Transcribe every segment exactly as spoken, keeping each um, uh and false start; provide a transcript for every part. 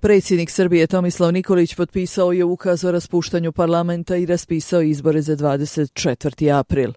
Predsjednik Srbije Tomislav Nikolić potpisao je ukaz o raspuštanju parlamenta i raspisao izbore za dvadeset četvrti april.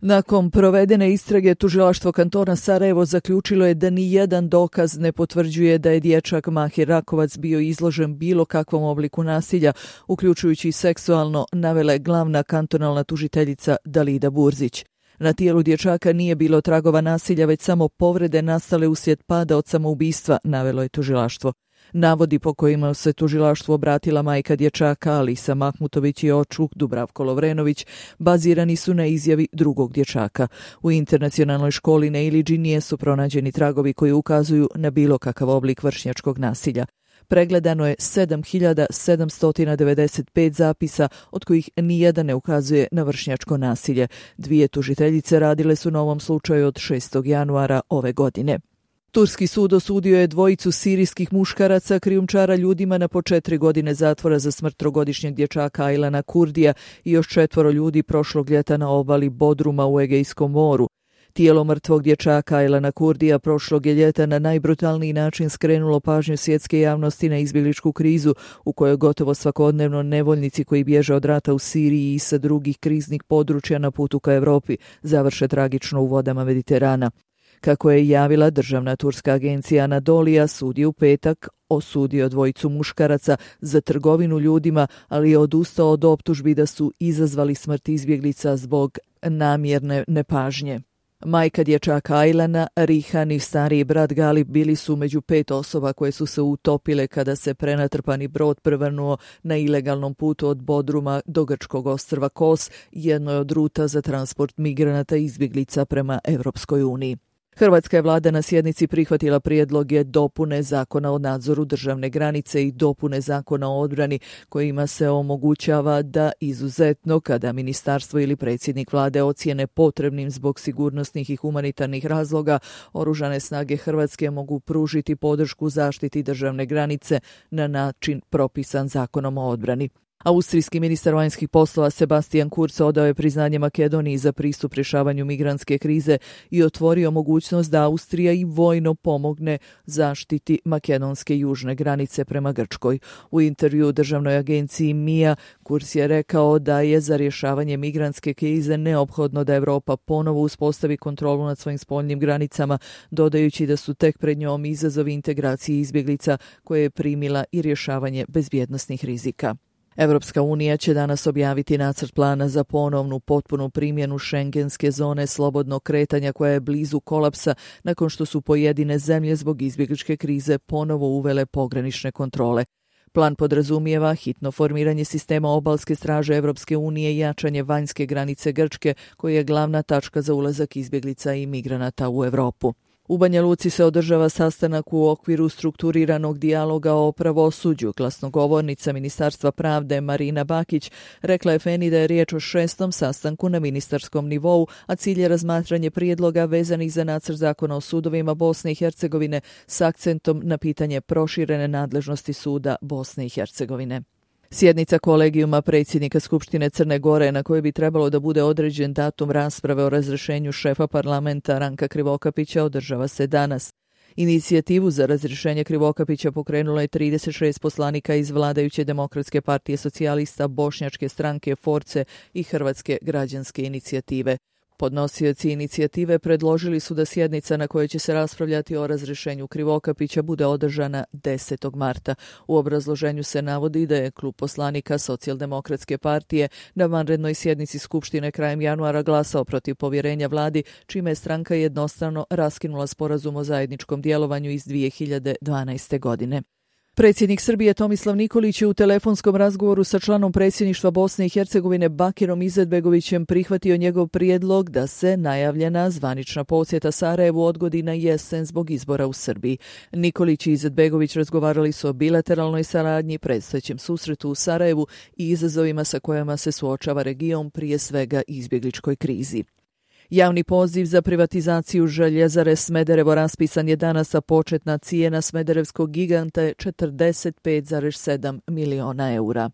Nakon provedene istrage, tužilaštvo kantona Sarajevo zaključilo je da ni jedan dokaz ne potvrđuje da je dječak Mahir Rakovac bio izložen bilo kakvom obliku nasilja, uključujući i seksualno, navela je glavna kantonalna tužiteljica Dalida Burzić. Na tijelu dječaka nije bilo tragova nasilja, već samo povrede nastale uslijed pada od samoubistva, navelo je tužilaštvo. Navodi po kojima se tužilaštvu obratila majka dječaka Alisa Mahmutović i očuk Dubravko Lovrenović bazirani su na izjavi drugog dječaka. U internacionalnoj školi na Iliđi nisu pronađeni tragovi koji ukazuju na bilo kakav oblik vršnjačkog nasilja. Pregledano je sedam hiljada sedamsto devedeset pet zapisa, od kojih nijedan ne ukazuje na vršnjačko nasilje. Dvije tužiteljice radile su na ovom slučaju od šestog januara ove godine. Turski sud osudio je dvojicu sirijskih muškaraca krijumčara ljudima na po četiri godine zatvora za smrt trogodišnjeg dječaka Aylana Kurdija i još četvoro ljudi prošlog ljeta na obali Bodruma u Egejskom moru. Tijelo mrtvog dječaka Aylana Kurdija prošlog je ljeta na najbrutalniji način skrenulo pažnju svjetske javnosti na izbjegličku krizu u kojoj gotovo svakodnevno nevoljnici koji bježe od rata u Siriji i sa drugih kriznih područja na putu ka Europi završe tragično u vodama Mediterana. Kako je javila državna turska agencija Anadolija, sud je u petak osudio dvojicu muškaraca za trgovinu ljudima, ali je odustao od optužbi da su izazvali smrt izbjeglica zbog namjerne nepažnje. Majka dječaka Aylana, Rihan i stariji brat Galip bili su među pet osoba koje su se utopile kada se prenatrpani brod prevrnuo na ilegalnom putu od Bodruma do grčkog ostrva Kos, jednoj od ruta za transport migranata i izbjeglica prema Europskoj uniji. Hrvatska je vlada na sjednici prihvatila prijedloge dopune zakona o nadzoru državne granice i dopune zakona o odbrani kojima se omogućava da izuzetno kada ministarstvo ili predsjednik vlade ocijene potrebnim zbog sigurnosnih i humanitarnih razloga, oružane snage Hrvatske mogu pružiti podršku zaštiti državne granice na način propisan zakonom o odbrani. Austrijski ministar vanjskih poslova Sebastian Kurz odao je priznanje Makedoniji za pristup rješavanju migrantske krize i otvorio mogućnost da Austrija i vojno pomogne zaštiti makedonske južne granice prema Grčkoj. U intervju državnoj agenciji M I A Kurz je rekao da je za rješavanje migrantske krize neophodno da Europa ponovo uspostavi kontrolu nad svojim spoljnim granicama, dodajući da su tek pred njom izazovi integracije izbjeglica koje je primila i rješavanje bezbjednosnih rizika. Europska unija će danas objaviti nacrt plana za ponovnu potpunu primjenu šengenske zone slobodnog kretanja koja je blizu kolapsa nakon što su pojedine zemlje zbog izbjegličke krize ponovo uvele pogranične kontrole. Plan podrazumijeva hitno formiranje sistema obalske straže Europske unije i jačanje vanjske granice Grčke, koja je glavna tačka za ulazak izbjeglica i migranata u Europu. U Banja Luci se održava sastanak u okviru strukturiranog dijaloga o pravosuđu. Glasnogovornica Ministarstva pravde Marina Bakić rekla je Feni da je riječ o šestom sastanku na ministarskom nivou, a cilj je razmatranje prijedloga vezanih za nacrt zakona o sudovima Bosne i Hercegovine s akcentom na pitanje proširene nadležnosti suda Bosne i Hercegovine. Sjednica kolegijuma predsjednika Skupštine Crne Gore, na kojoj bi trebalo da bude određen datum rasprave o razrješenju šefa parlamenta Ranka Krivokapića, održava se danas. Inicijativu za razrješenje Krivokapića pokrenulo je trideset šest poslanika iz vladajuće Demokratske partije socijalista, Bošnjačke stranke Force i Hrvatske građanske inicijative. Podnosioci inicijative predložili su da sjednica na kojoj će se raspravljati o razrješenju Krivokapića bude održana desetog marta. U obrazloženju se navodi da je klub poslanika Socijaldemokratske partije na vanrednoj sjednici Skupštine krajem januara glasao protiv povjerenja vladi, čime je stranka jednostrano raskinula sporazum o zajedničkom djelovanju iz dvije hiljade dvanaeste. godine. Predsjednik Srbije Tomislav Nikolić je u telefonskom razgovoru sa članom predsjedništva Bosne i Hercegovine Bakirom Izetbegovićem prihvatio njegov prijedlog da se najavljena zvanična posjeta Sarajevu odgodi na jesen zbog izbora u Srbiji. Nikolić i Izetbegović razgovarali su o bilateralnoj saradnji, predstojećem susretu u Sarajevu i izazovima sa kojima se suočava region, prije svega izbjegličkoj krizi. Javni poziv za privatizaciju željezare Smederevo raspisan je danas, a početna cijena smederevskog giganta je četrdeset pet zarez sedam miliona eura.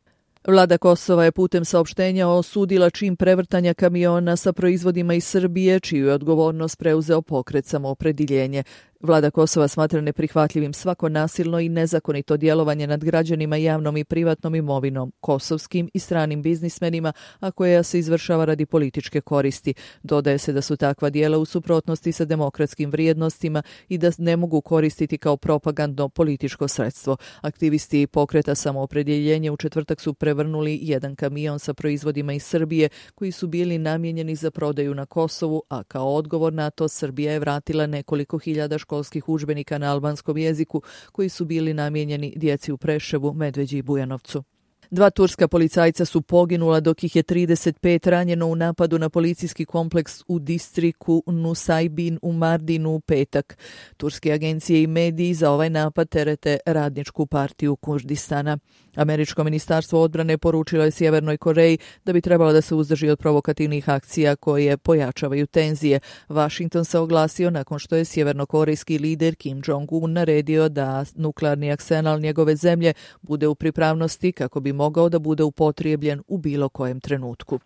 Vlada Kosova je putem saopštenja osudila čin prevrtanja kamiona sa proizvodima iz Srbije, čiju je odgovornost preuzeo pokret Samoopredjeljenje. Vlada Kosova smatra neprihvatljivim svako nasilno i nezakonito djelovanje nad građanima, javnom i privatnom imovinom, kosovskim i stranim biznismenima, a koja se izvršava radi političke koristi. Dodaje se da su takva djela u suprotnosti sa demokratskim vrijednostima i da ne mogu koristiti kao propagandno političko sredstvo. Aktivisti pokreta Samoopredjeljenje u četvrtak su prevrnuli jedan kamion sa proizvodima iz Srbije koji su bili namijenjeni za prodaju na Kosovu, a kao odgovor na to Srbija je vratila nekoliko hiljada školskih udžbenika na albanskom jeziku koji su bili namijenjeni djeci u Preševu, Medveđi i Bujanovcu. Dva turska policajca su poginula dok ih je trideset pet ranjeno u napadu na policijski kompleks u distriku Nusaybin u Mardinu u petak. Turske agencije i mediji za ovaj napad terete Radničku partiju Kurdistana. Američko ministarstvo odbrane poručilo je Sjevernoj Koreji da bi trebalo da se uzdrži od provokativnih akcija koje pojačavaju tenzije. Washington se oglasio nakon što je sjevernokorejski lider Kim Jong-un naredio da nuklearni arsenal njegove zemlje bude u pripravnosti kako bi mogao da bude upotrijebljen u bilo kojem trenutku.